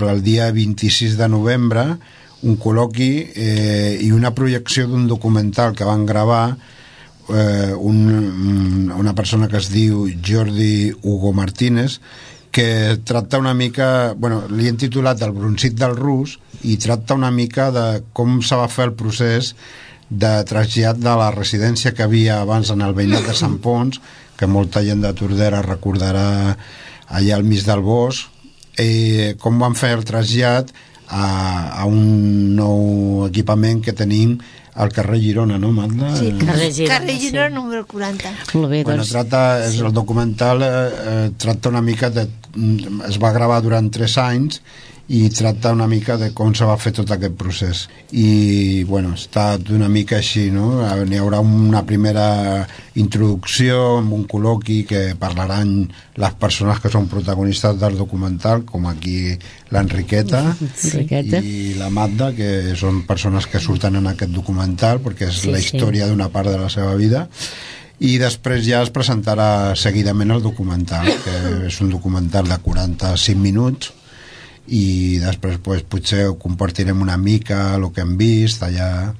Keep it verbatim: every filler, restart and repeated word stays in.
el dia vint-i-sis de novembre, un col·loqui eh, i una projecció d'un documental que van gravar eh, un, una persona que es diu Jordi Hugo Martínez, que tracta una mica, bueno, li hem titulat El broncit del rus, i tracta una mica de com se va fer el procés de trasllat de la residència que havia abans en el veïnat de Sant Pons, que molta gent de Tordera recordarà, allà al mig del bosc, eh, com van fer el trasllat a, a un nou equipament que tenim al carrer Girona, no, Magda? Sí, carrer Girona, carrer Girona sí. Número quaranta. Molt bé, bueno, doncs... tracta, és, el documental eh, eh, tracta una mica de... es va gravar durant tres anys i tracta una mica de com se va fer tot aquest procés. I, bueno, està d'una mica així, no? N'hi haurà una primera introducció amb un col·loqui que parlaran les persones que són protagonistes del documental, com aquí l'Enriqueta i la Magda, que són persones que surten en aquest documental, perquè és sí, la història sí. d'una part de la seva vida. I després ja es presentarà seguidament el documental, que és un documental de quaranta-cinc minuts, i després pues, potser ho compartirem una mica el que hem vist allà.